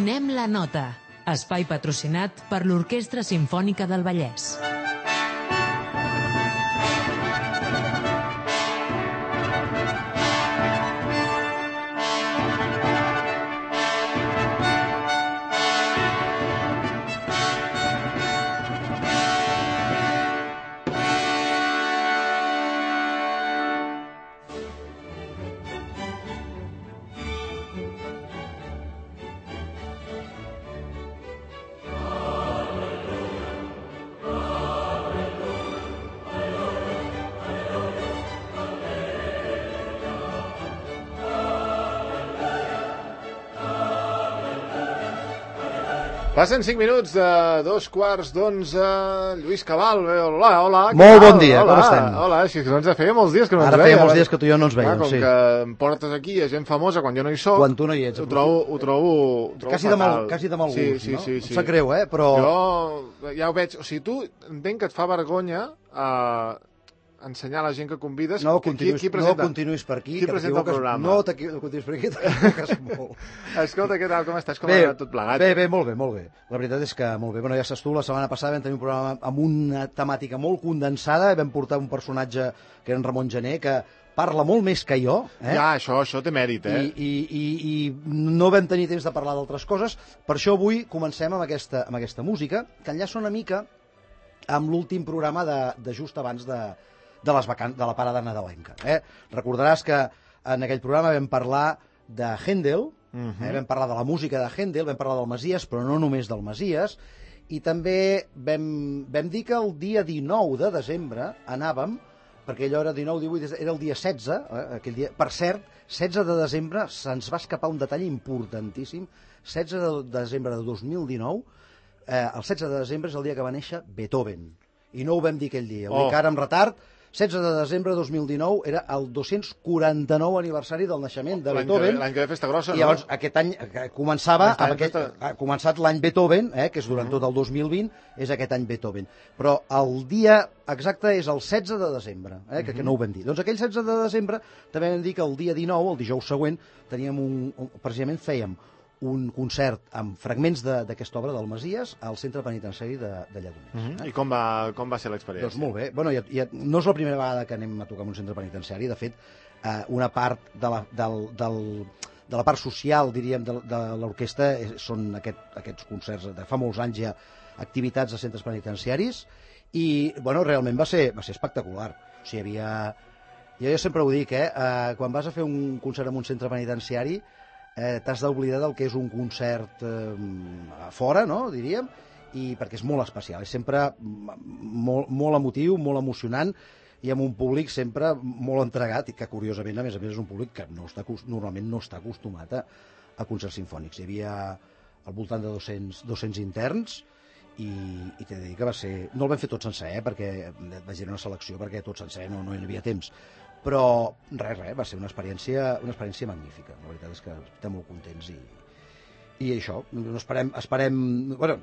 Donem la nota. Espai patrocinat per l'Orquestra Simfònica del Vallès. Passen 5 minuts de 2:45. Lluís Cabal, hola, hola. Molt bon dia, com estem? Hola, si no ens feia molts dies que no ens veia. veia. Ara feia molts dies que tu i jo no ens veiem, com sí. que em portes aquí a gent famosa quan jo no hi soc. Quan tu no hi ets. Ho trobo quasi fatal. de mal gust, sí, no? Sí. Em sap greu, però... Jo ja ho veig. O sigui, tu entenc que et fa vergonya ensenyar a la gent que convides... No continuïs per aquí. Qui presenta el programa? No continuïs per aquí, t'equivoques molt. Escolta, què tal, com estàs? Com ha anat tot plegat? Bé, molt bé. La veritat és que molt bé. Bueno, ja saps tu, la setmana passada vam tenir un programa amb una temàtica molt condensada, vam portar un personatge que era en Ramon Gené, que parla molt més que jo. Ja, això té mèrit, I no vam tenir temps de parlar d'altres coses. Per això avui comencem amb aquesta música, que enllaça una mica amb l'últim programa de just abans de la parada nadalenca. Recordaràs que en aquell programa vam parlar de Händel, vam parlar de la música de Händel, vam parlar del Messies, però no només del Messies, i també vam dir que el dia 19 de desembre anàvem, perquè allò era 19-18, era el dia 16, aquell dia. Per cert, 16 de desembre se'ns va escapar un detall importantíssim. 16 de desembre de 2019, el 16 de desembre és el dia que va néixer Beethoven, i no ho vam dir aquell dia, ho dic ara amb retard. 16 de desembre de 2019 era el 249 aniversari del naixement de Beethoven. L'any que ve festa grossa, no? I llavors aquest any ha començat l'any Beethoven, que és durant tot el 2020, és aquest any Beethoven. Però el dia exacte és el 16 de desembre, que no ho vam dir. Doncs aquell 16 de desembre també vam dir que el dia 19, el dijous següent, precisament fèiem un concert amb fragments d'aquesta obra del Messies al centre penitenciari de Lledoners. I com va ser l'experiència? Doncs molt bé. Bueno, no és la primera vegada que anem a tocar en un centre penitenciari. De fet, una part de la part social, diríem, de l'orquestra són aquests concerts. Fa molts anys hi ha activitats a centres penitenciaris i, bueno, realment va ser espectacular. O sigui, jo sempre ho dic, quan vas a fer un concert en un centre penitenciari t'has d'oblidar del que és un concert a fora, no?, diríem, i perquè és molt especial, és sempre molt emotiu, molt emocionant, i amb un públic sempre molt entregat, i que curiosament, a més és un públic que normalment no està acostumat a concerts sinfònics. Hi havia al voltant de 200 interns, i t'he de dir que va ser... No el vam fer tot sencer, perquè vaig dir una selecció, perquè tot sencer no hi havia temps. Però res, va ser una experiència magnífica. La veritat és que estem molt contents i això, esperem... Bueno,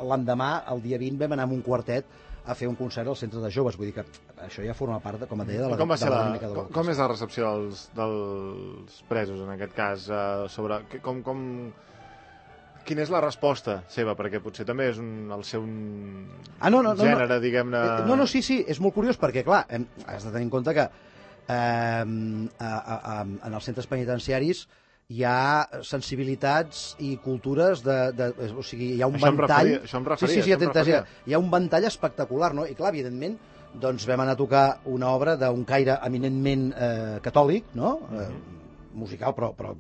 l'endemà, el dia 20, vam anar amb un quartet a fer un concert al centre de joves, vull dir que això ja forma part, com et deia, de la dinàmica de l'orquestra. Com és la recepció dels presos, en aquest cas? Quina és la resposta seva? Perquè potser també és el seu gènere, diguem-ne... No, sí, és molt curiós, perquè, clar, has de tenir en compte que en els centres penitenciaris hi ha sensibilitats i cultures o sigui, hi ha un ventall... Això em referia. Hi ha un ventall espectacular, no? I clar, evidentment, doncs vam anar a tocar una obra d'un caire eminentment catòlic, no? Musical, però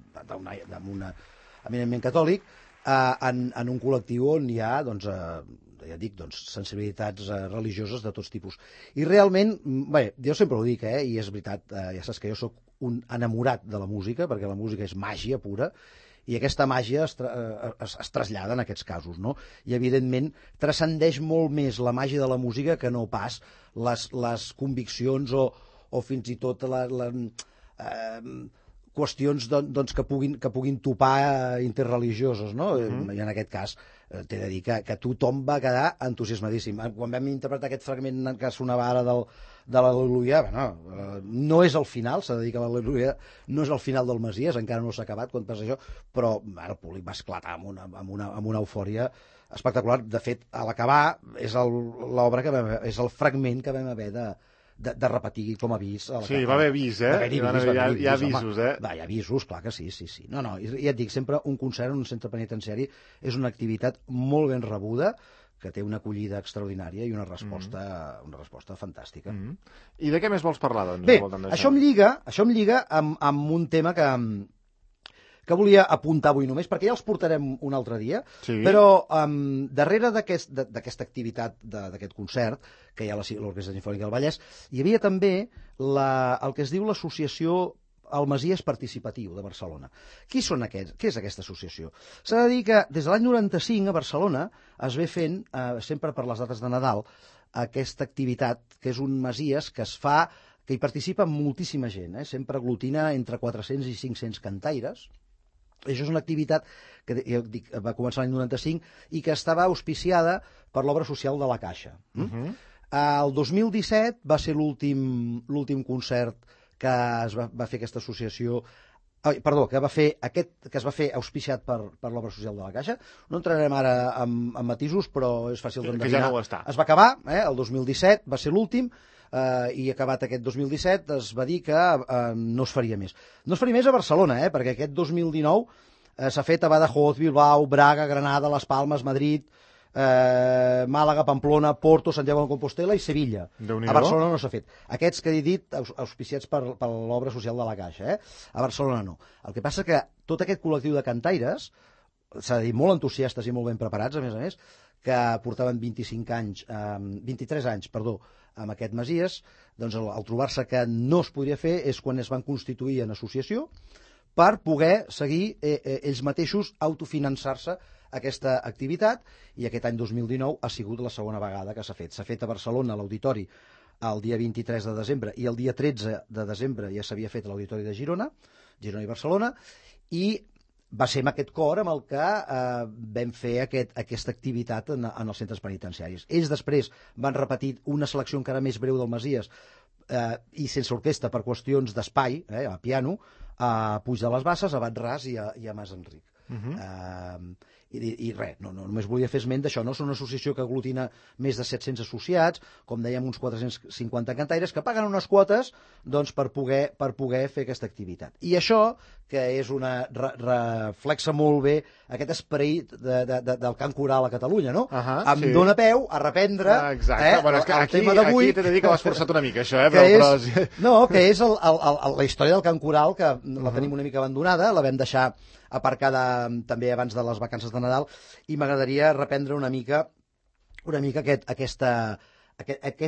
eminentment catòlic, en un col·lectiu on hi ha, doncs, ja dic, sensibilitats religioses de tots tipus. I realment, bé, jo sempre ho dic, i és veritat, ja saps que jo sóc un enamorat de la música, perquè la música és màgia pura, i aquesta màgia es trasllada en aquests casos, no? I, evidentment, transcendeix molt més la màgia de la música que no pas les conviccions o fins i tot qüestions que puguin topar interreligioses, no? I en aquest cas t'he de dir que tothom va quedar entusiasmadíssim. Quan vam interpretar aquest fragment que sonava ara l'Al·leluia, no és el final, s'ha de dir que l'Al·leluia no és el final del Masies, encara no s'ha acabat quan passa això, però el públic va esclatar amb una eufòria espectacular. De fet, a l'acabar és l'obra és el fragment que vam haver de repetir com a avís. Sí, va haver avís, Hi ha avisos, Va, hi ha avisos, clar que sí. No, ja et dic, sempre un concert en un centre penitenciari és una activitat molt ben rebuda, que té una acollida extraordinària i una resposta fantàstica. I de què més vols parlar, doncs? Bé, això em lliga amb un tema que volia apuntar avui només, perquè ja els portarem un altre dia, però darrere d'aquesta activitat, d'aquest concert, que hi ha l'Orquestra Simfònica del Vallès, hi havia també el que es diu l'Associació el Masies Participatiu de Barcelona. Què és aquesta associació? S'ha de dir que des de l'any 95 a Barcelona es ve fent, sempre per les dates de Nadal, aquesta activitat, que és un Masies que es fa, que hi participa moltíssima gent, sempre aglutina entre 400 i 500 cantaires. Això és una activitat que va començar l'any 95 i que estava auspiciada per l'obra social de la Caixa. El 2017 va ser l'últim concert que es va fer aquesta associació, que es va fer auspiciat per l'obra social de la Caixa. No entrarem ara en matisos, però és fàcil d'endevinar. Que ja no ho està. Es va acabar, el 2017 va ser l'últim, i acabat aquest 2017 es va dir que no es faria més. No es faria més a Barcelona, perquè aquest 2019 s'ha fet a Badajoz, Bilbao, Braga, Granada, Les Palmes, Madrid, Màlaga, Pamplona, Porto, Santiago de Compostela i Sevilla. A Barcelona no s'ha fet. Aquests que he dit, auspiciats per l'obra social de la Caixa. A Barcelona no. El que passa que tot aquest col·lectiu de cantaires, s'ha de dir, molt entusiastes i molt ben preparats, a més, que portaven 23 anys, amb aquest Masies, doncs al trobar-se que no es podria fer és quan es van constituir en associació per poder seguir ells mateixos autofinançar-se aquesta activitat, i aquest any 2019 ha sigut la segona vegada que s'ha fet. S'ha fet a Barcelona, a l'Auditori, el dia 23 de desembre, i el dia 13 de desembre ja s'havia fet a l'Auditori de Girona i Barcelona, i va ser amb aquest cor amb el que vam fer aquesta activitat en els centres penitenciaris. Ells després van repetir una selecció encara més breu del Masies, i sense orquestra per qüestions d'espai, a piano, a Puig de les Basses, a Bat-ras i a Mas Enric. I res, només volia fer esment d'això, no? Són una associació que aglutina més de 700 associats, com dèiem, uns 450 cantaires, que paguen unes quotes per poder fer aquesta activitat. I això, que és reflexa molt bé aquest esperit del cant coral a Catalunya, no? Em dona peu a reprendre el tema d'avui. Aquí t'he de dir que l'has forçat una mica, això, que és la història del cant coral, que la tenim una mica abandonada, la vam deixar aparcada també abans de les vacances de Nadal, i m'agradaria reprendre una mica aquest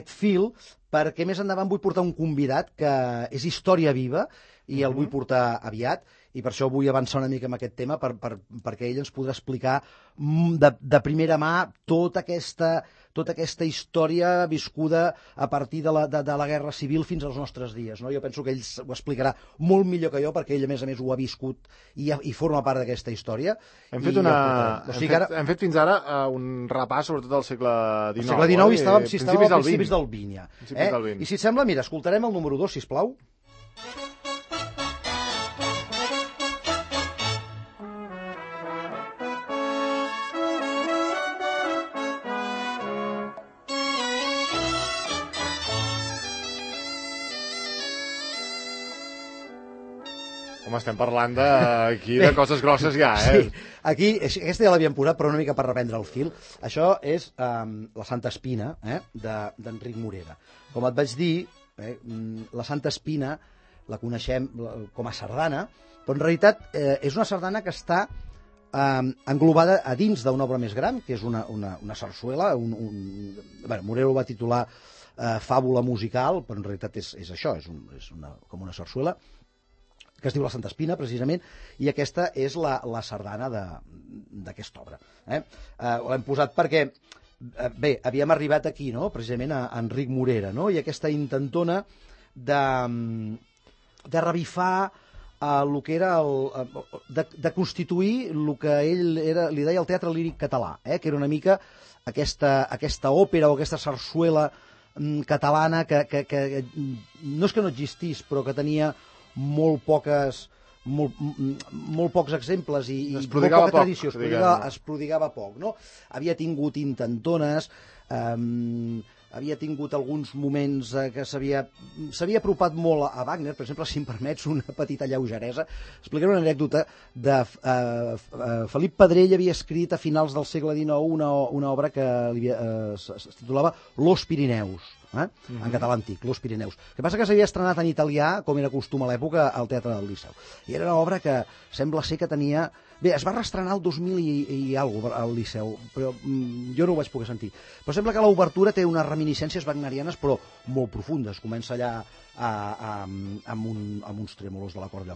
fil, perquè més endavant vull portar un convidat que és història viva i el vull portar aviat, i per això vull avançar una mica amb aquest tema, perquè ell ens podrà explicar de primera mà tota aquesta història viscuda a partir de la Guerra Civil fins als nostres dies. Jo penso que ell ho explicarà molt millor que jo, perquè ell, a més, ho ha viscut i forma part d'aquesta història. Hem fet fins ara un repàs, sobretot del segle XIX. El segle XIX i estàvem als principis del XX. I si et sembla, mira, escoltarem el número 2, sisplau. Home, estem parlant aquí de coses grosses ja, Sí, aquí, aquesta ja l'havíem posat, però una mica per reprendre el fil. Això és la Santa Espina, d'Enric Morera. Com et vaig dir, la Santa Espina la coneixem com a sardana, però en realitat és una sardana que està englobada a dins d'una obra més gran, que és una sarsuela. Morera ho va titular Fàbula musical, però en realitat és això, és com una sarsuela, que es diu la Santa Espina, precisament, i aquesta és la sardana d'aquesta obra. L'hem posat perquè, havíem arribat aquí, no?, precisament a Enric Morera, no?, i aquesta intentona de revifar el que era de constituir el que ell li deia el teatre líric català, que era una mica aquesta òpera o aquesta sarsuela catalana que no és que no existís, però que tenia molt pocs exemples i molt poca tradició, es prodigava poc, no? Havia tingut intentones, havia tingut alguns moments que s'havia apropat molt a Wagner. Per exemple, si em permets una petita lleugeresa, explicaré una anècdota de Felip Pedrell havia escrit a finals del segle XIX una obra que es titulava Los Pirineus, en català antic, Los Pirineus. El que passa que s'havia estrenat en italià, com era costum a l'època, al Teatre del Liceu. I era una obra que sembla ser que tenia... Bé, es va reestrenar el 2000 i alguna cosa al Liceu, però jo no ho vaig poder sentir. Però sembla que l'obertura té unes reminiscències wagnerianes, però molt profundes. Comença allà amb uns trèmolos de la corda,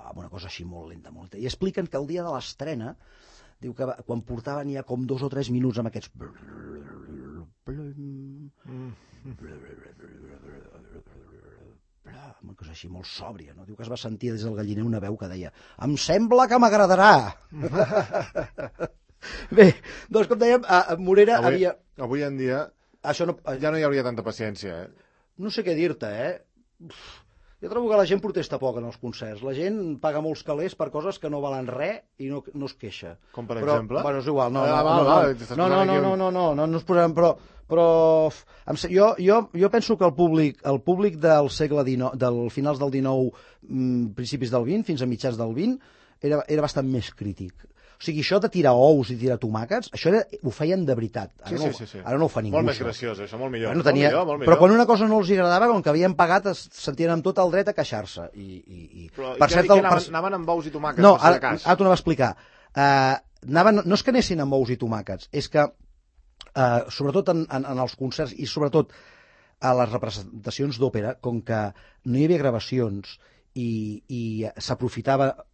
amb una cosa així molt lenta, molt lenta. I expliquen que el dia de l'estrena, diu que quan portaven ja com 2 o 3 minuts amb aquests... una cosa així molt sòbria, no? Diu que es va sentir des del galliner una veu que deia «Em sembla que m'agradarà!» Bé, doncs com dèiem, Morera havia... Avui en dia ja no hi hauria tanta paciència, No sé què dir-te, Jo trobo que la gent protesta poc en els concerts. La gent paga molts calés per coses que no valen res i no es queixa. Com per exemple? Bueno, és igual, no ens posarem, però jo penso que el públic del segle XIX, del finals del XIX, principis del XX, fins a mitjans del XX, era bastant més crític. O sigui, això de tirar ous i tirar tomàquets, això ho feien de veritat. Ara no ho fa ningú. Molt més graciós, això, molt millor. Molt millor. Però quan una cosa no els agradava, com que havien pagat, es sentien amb tot el dret a queixar-se. Però anaven amb ous i tomàquets? No, ara t'ho anava a explicar. No és que anessin amb ous i tomàquets, és que, sobretot en els concerts i sobretot a les representacions d'òpera, com que no hi havia gravacions i s'aprofitava...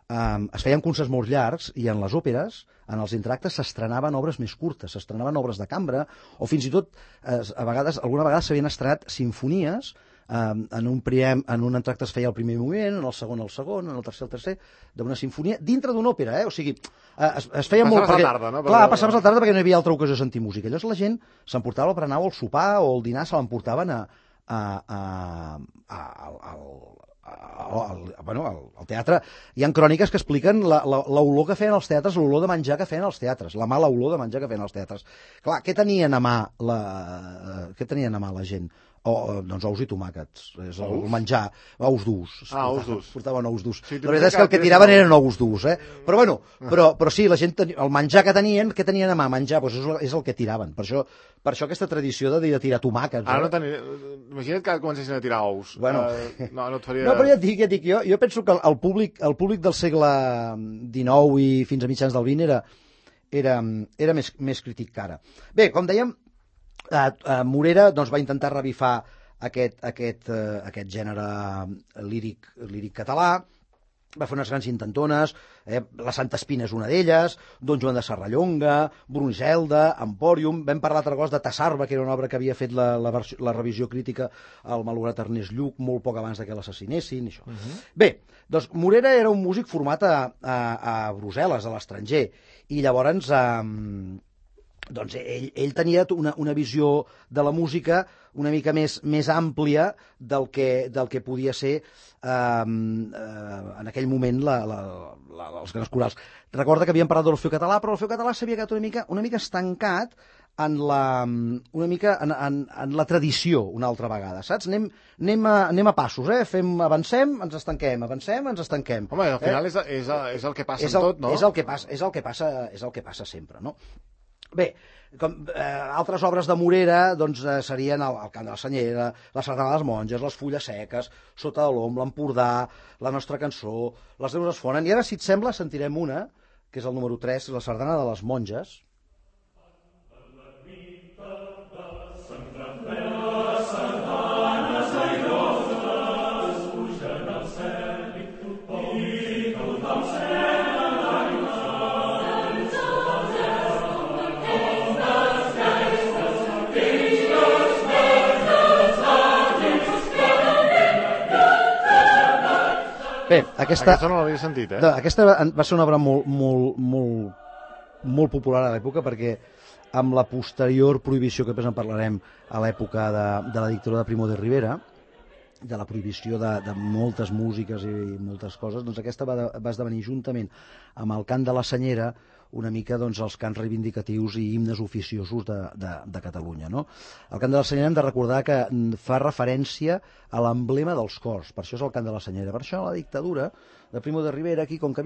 es feien concerts molt llargs i en les òperes, en els entractes, s'estrenaven obres més curtes, s'estrenaven obres de cambra o fins i tot, alguna vegada s'havien estrenat sinfonies. En un entracte es feia el primer moviment, en el segon, en el tercer, d'una sinfonia, dintre d'una òpera, O sigui, es feia molt... Passaves la tarda, no? Clar, passaves la tarda perquè no hi havia altra ocasió de sentir música. Llavors la gent s'emportava el berenar o el sopar o el dinar, se l'emportaven al teatre. Hi ha cròniques que expliquen l'olor que feien els teatres, l'olor de menjar que feien els teatres, la mala olor de menjar que feien els teatres. Clar, què tenien a mà la gent? Doncs ous i tomàquets, és el menjar, ous durs. Ous durs. Portaven ous durs. La veritat és que el que tiraven eren ous durs, Però bueno, però sí, la gent, el menjar que tenien, què tenien a mà? Menjar, doncs és el que tiraven. Per això aquesta tradició de tirar tomàquets. Imagina't que comencessin a tirar ous. Bueno. No et faria... No, però ja et dic, jo penso que el públic del segle XIX i fins a mitjans del XX era més crític que ara. Bé, com dèiem, Morera doncs, va intentar revifar aquest gènere líric català, va fer unes grans intentones, la Santa Espina és una d'elles, Don Joan de Serrallonga, Brunselda, Empòrium, vam parlar altra cosa de Tassarba, que era una obra que havia fet la revisió crítica al malograt Ernest Lluch molt poc abans que l'assassinessin. Bé, doncs Morera era un músic format a Brussel·les, a l'estranger, i llavors... doncs ell tenia una visió de la música una mica més àmplia del que podia ser en aquell moment els grans corals. Recorda que havíem parlat de l'Orfeó Català, però l'Orfeó Català s'havia quedat una mica estancat en la tradició una altra vegada, saps? Anem a passos, avancem, ens estanquem, avancem, ens estanquem. Home, al final és el que passa en tot, no? És el que passa sempre, no? Bé, altres obres de Morera doncs, serien el Cant de la Senyera, la Sardana de les Monges, les Fulles Seques, Sota de l'Om, l'Empordà, la Nostra Cançó, les Neus es fonen. I ara, si et sembla, sentirem una, que és el número 3, la Sardana de les Monges. Bé, aquesta no l'havia sentit, Aquesta va ser una obra molt popular a l'època perquè amb la posterior prohibició, que després en parlarem, a l'època de la dictadura de Primo de Rivera, de la prohibició de moltes músiques i moltes coses, doncs aquesta va esdevenir juntament amb el cant de la Senyera una mica doncs, els cants reivindicatius i himnes oficiosos de Catalunya. No? El cant de la Senyera hem de recordar que fa referència a l'emblema dels cors, per això és el cant de la Senyera. Per això la dictadura de Primo de Rivera, aquí, com que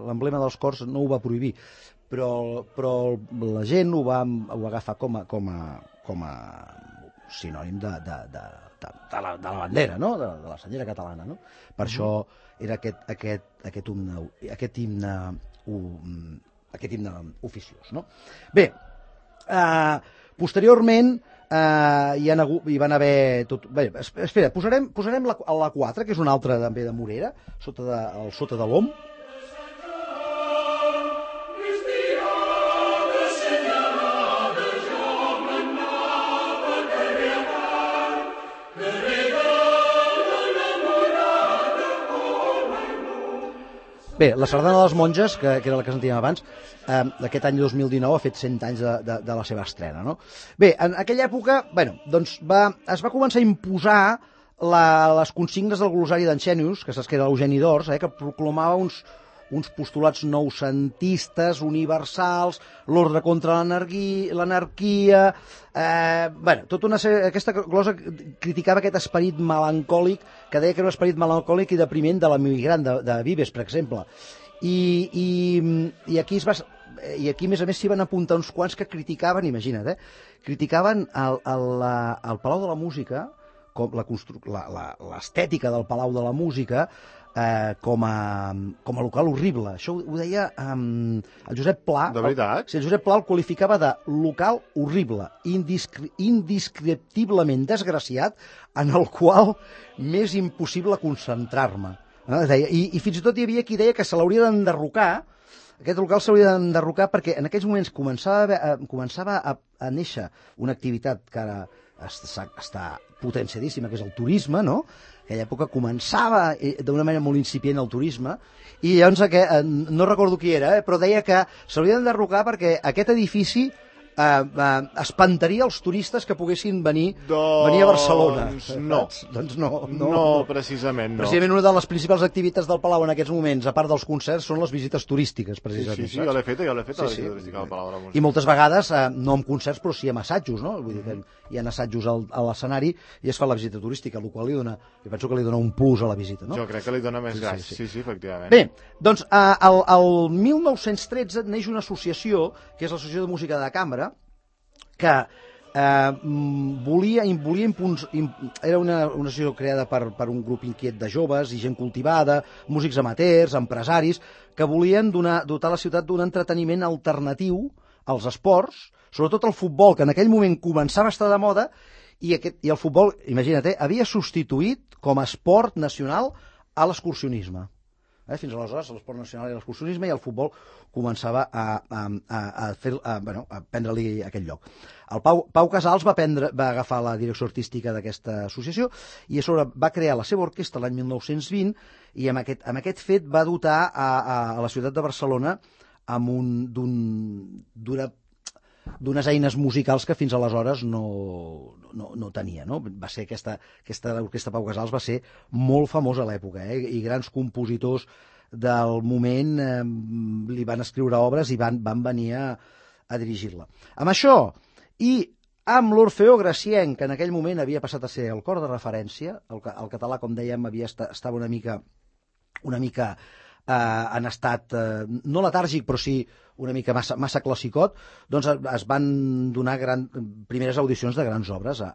l'emblema dels cors no ho va prohibir, però la gent ho va agafar com a sinònim de la bandera, no? de la senyera catalana. No? Per això era aquest himne oficiós. No? Bé, posteriorment hi van haver... Bé, espera, posarem la 4, que és una altra també de Morera, sota de l'OM. Bé, la Sardana de les Monges, que era la que sentíem abans, aquest any 2019 ha fet 100 anys de la seva estrena. No? Bé, en aquella època doncs es va començar a imposar les consignes del glossari d'Anxenius, que saps que era l'Eugeni d'Ors, que proclamava uns postulats noucentistes, universals, l'ordre contra l'anarquia... tota una sèrie... Aquesta glosa criticava aquest esperit melancòlic, que deia que era un esperit melancòlic i depriment de l'emigrant de Vives, per exemple. I aquí a més a més s'hi van apuntar uns quants que criticaven, imagina't, criticaven el Palau de la Música, l'estètica del Palau de la Música, com a local horrible. Això ho deia el Josep Pla. De veritat? El Josep Pla el qualificava de local horrible, indescriptiblement desgraciat, en el qual m'és impossible concentrar-me. I fins i tot hi havia qui deia que se l'hauria d'enderrocar. Aquest local s'hauria d'enderrocar perquè en aquells moments començava a néixer una activitat que ara està potenciadíssima, que és el turisme, no? En aquella època començava d'una manera molt incipient el turisme, i llavors no recordo qui era, però deia que s'hauria d'enderrocar perquè aquest edifici espantaria els turistes que poguessin venir a Barcelona. Doncs no, precisament no. Precisament una de les principals activitats del Palau en aquests moments, a part dels concerts, són les visites turístiques, precisament. Sí, jo l'he fet, la visita turística del Palau de la Música. I moltes vegades, no amb concerts, però sí amb assajos, no? Vull dir que hi ha assajos a l'escenari i es fa la visita turística, el qual jo penso que li dona un plus a la visita, no? Jo crec que li dona més gas, sí, efectivament. Bé, doncs, el 1913 neix una associació, que és l'Associació de Música de Cambra, que volia era una associació creada per un grup inquiet de joves i gent cultivada, músics amateurs, empresaris, que volien dotar la ciutat d'un entreteniment alternatiu als esports, sobretot el futbol, que en aquell moment començava a estar de moda, i el futbol, imagina't, havia substituït com a esport nacional a l'excursionisme. Fins aleshores l'esport nacional era l'excursionisme i el futbol començava a prendre-li aquest lloc. El Pau Casals va agafar la direcció artística d'aquesta associació i a sobre va crear la seva orquestra l'any 1920 i amb aquest fet va dotar a la ciutat de Barcelona d'unes eines musicals que fins aleshores no tenia. No? Va ser aquesta orquestra Pau Casals va ser molt famosa a l'època, i grans compositors del moment li van escriure obres i van venir a dirigir-la. Amb això, i amb l'Orfeó Gracienc, que en aquell moment havia passat a ser el cor de referència, el català, com dèiem, estava una mica en estat, no letàrgic, però sí una mica massa classicot, doncs es van donar primeres audicions de grans obres a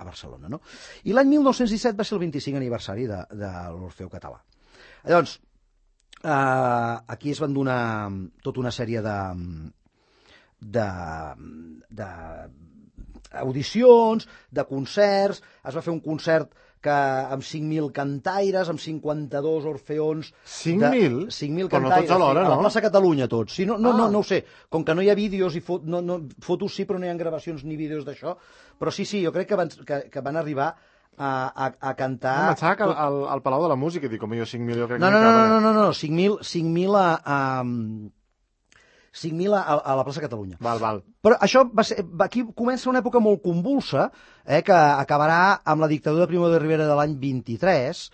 Barcelona. No? I l'any 1917 va ser el 25 aniversari de l'Orfeó Català. Llavors, aquí es van donar tota una sèrie d'audicions, de concerts, es va fer un concert amb 5.000 cantaires, amb 52 orfeons... 5.000? 5.000 cantaires. Però no tots alhora, no? A la plaça Catalunya, tots. Sí, no ho sé. Com que no hi ha vídeos i fotos sí, però no hi ha gravacions ni vídeos d'això. Però sí, jo crec que van arribar a cantar... No, em pensava que al Palau de la Música, dic, com jo 5.000, jo crec que no, 5.000 5.000 a la plaça Catalunya. Val. Però això aquí comença una època molt convulsa, que acabarà amb la dictadura de Primo de Rivera de l'any 23,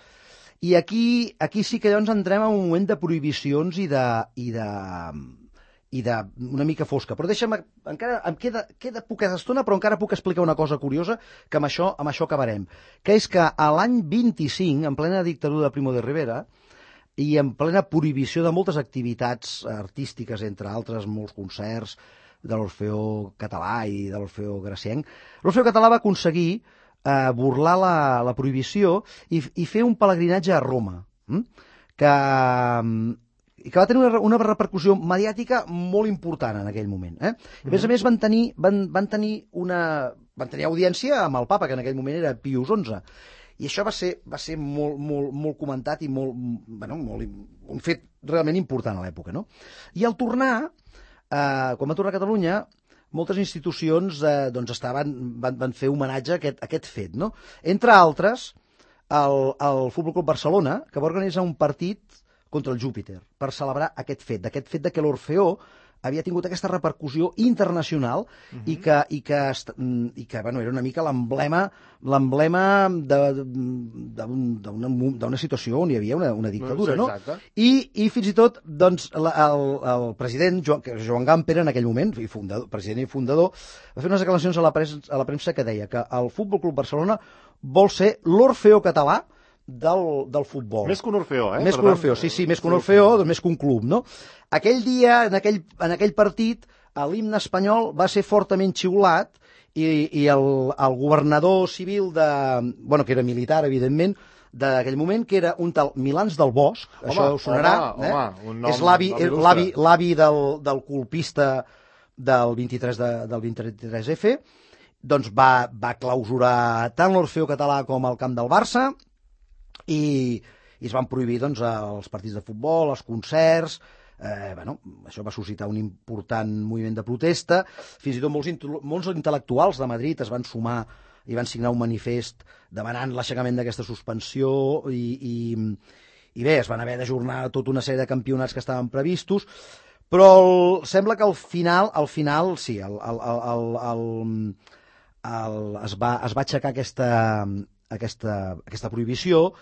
i aquí sí que llavors entrem en un moment de prohibicions i de una mica fosca. Però deixa'm, encara em queda poca estona, però encara puc explicar una cosa curiosa, que amb això acabarem, que és que a l'any 25, en plena dictadura de Primo de Rivera, i en plena prohibició de moltes activitats artístiques, entre altres molts concerts de l'Orfeó Català i de l'Orfeó Gracienc, l'Orfeó Català va aconseguir burlar la prohibició i fer un pelegrinatge a Roma, que va tenir una repercussió mediàtica molt important en aquell moment. I a més van tenir audiència amb el papa, que en aquell moment era Pius XI. I això va ser molt comentat i un fet realment important a l'època. No? I al tornar, quan va tornar a Catalunya, moltes institucions van fer homenatge a aquest fet. No? Entre altres, el Futbol Club Barcelona, que va organitzar un partit contra el Júpiter per celebrar aquest fet de que l'Orfeó havia tingut aquesta repercussió internacional i que era una mica l'emblema d'una situació on hi havia una dictadura, no? I fins i tot el president Joan Gamper en aquell moment, president i fundador, va fer unes declaracions a la premsa que deia que el Futbol Club Barcelona vol ser l'Orfeó català del futbol. Més que un Orfeó, Més que un Orfeó, sí, més que un Orfeó, més que un club, no? Aquell dia, en aquell partit, l'himne espanyol va ser fortament xiulat i el governador civil que era militar, evidentment, d'aquell moment, que era un tal Milans del Bosch, això us sonarà, és l'avi del colpista del 23F, doncs va clausurar tant l'Orfeó català com el camp del Barça, i es van prohibir els partits de futbol, els concerts. Això va suscitar un important moviment de protesta. Fins i tot molts intel·lectuals de Madrid es van sumar i van signar un manifest demanant l'aixecament d'aquesta suspensió i bé, es van haver d'ajornar tota una sèrie de campionats que estaven previstos, però sembla que al final sí, es va aixecar aquesta prohibició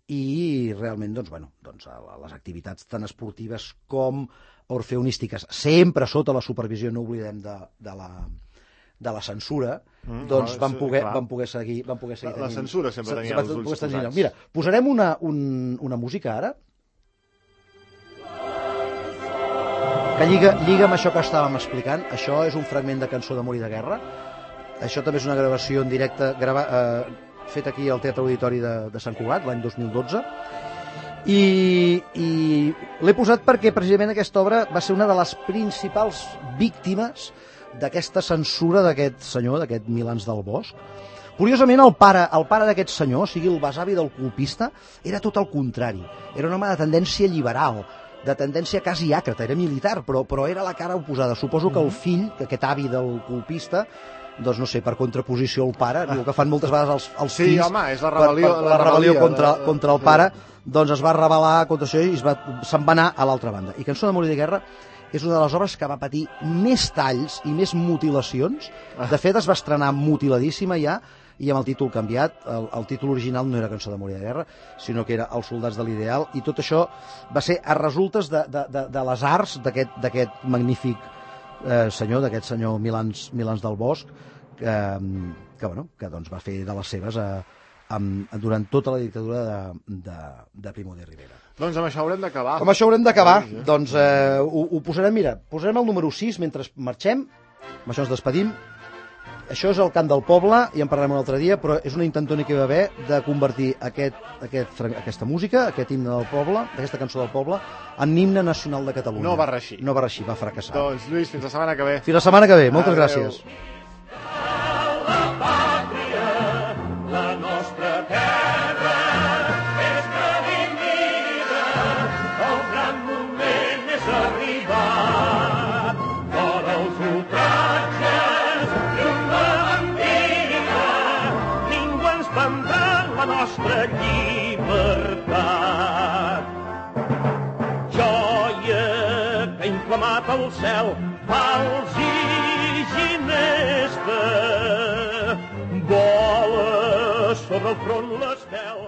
i realment les activitats tan esportives com orfeonístiques, sempre sota la supervisió, no oblidem, de la censura, van poder seguir tenint. La censura sempre tenia els ulls posats. Mira, posarem una música ara que lliga amb això que estàvem explicant. Això és un fragment de Cançó d'amor i de guerra. Això també és una gravació en directe fet aquí al Teatre Auditori de Sant Cugat, l'any 2012, i l'he posat perquè precisament aquesta obra va ser una de les principals víctimes d'aquesta censura d'aquest senyor, d'aquest Milans del Bosch. Curiosament, el pare d'aquest senyor, o sigui, el besavi del colpista, era tot el contrari. Era un home de tendència liberal, de tendència quasi àcrata, era militar, però era la cara oposada. Suposo que el fill, aquest avi del colpista, doncs no sé, per contraposició al pare, el que fan moltes vegades els fills, sí, home, és la rebel·lió contra el pare, doncs es va rebel·lar contra això i se'n va anar a l'altra banda. I Cançó d'amor i de guerra és una de les obres que va patir més talls i més mutilacions. De fet, es va estrenar mutiladíssima ja, i amb el títol canviat. El títol original no era Cançó d'amor i de guerra, sinó que era Els soldats de l'ideal, i tot això va ser a resultes de les arts d'aquest magnífic senyor, d'aquest senyor Milans del Bosch, que doncs va fer de les seves durant tota la dictadura de Primo de Rivera. Doncs amb això haurem d'acabar. Amb això haurem d'acabar. Doncs ho posarem, mira, posarem el número 6 mentre marxem, amb això ens despedim. Això és el cant del poble, i en parlarem un altre dia, però és una intentona que hi va haver de convertir aquesta música, aquest himne del poble, aquesta cançó del poble, en himne nacional de Catalunya. No va reeixir. No va reeixir, va fracassar. Doncs, Lluís, fins la setmana que ve. Fins la setmana que ve, moltes gràcies. Joia que ha inflamat el al cel, vals i ginesta, vola sobre el front l'estel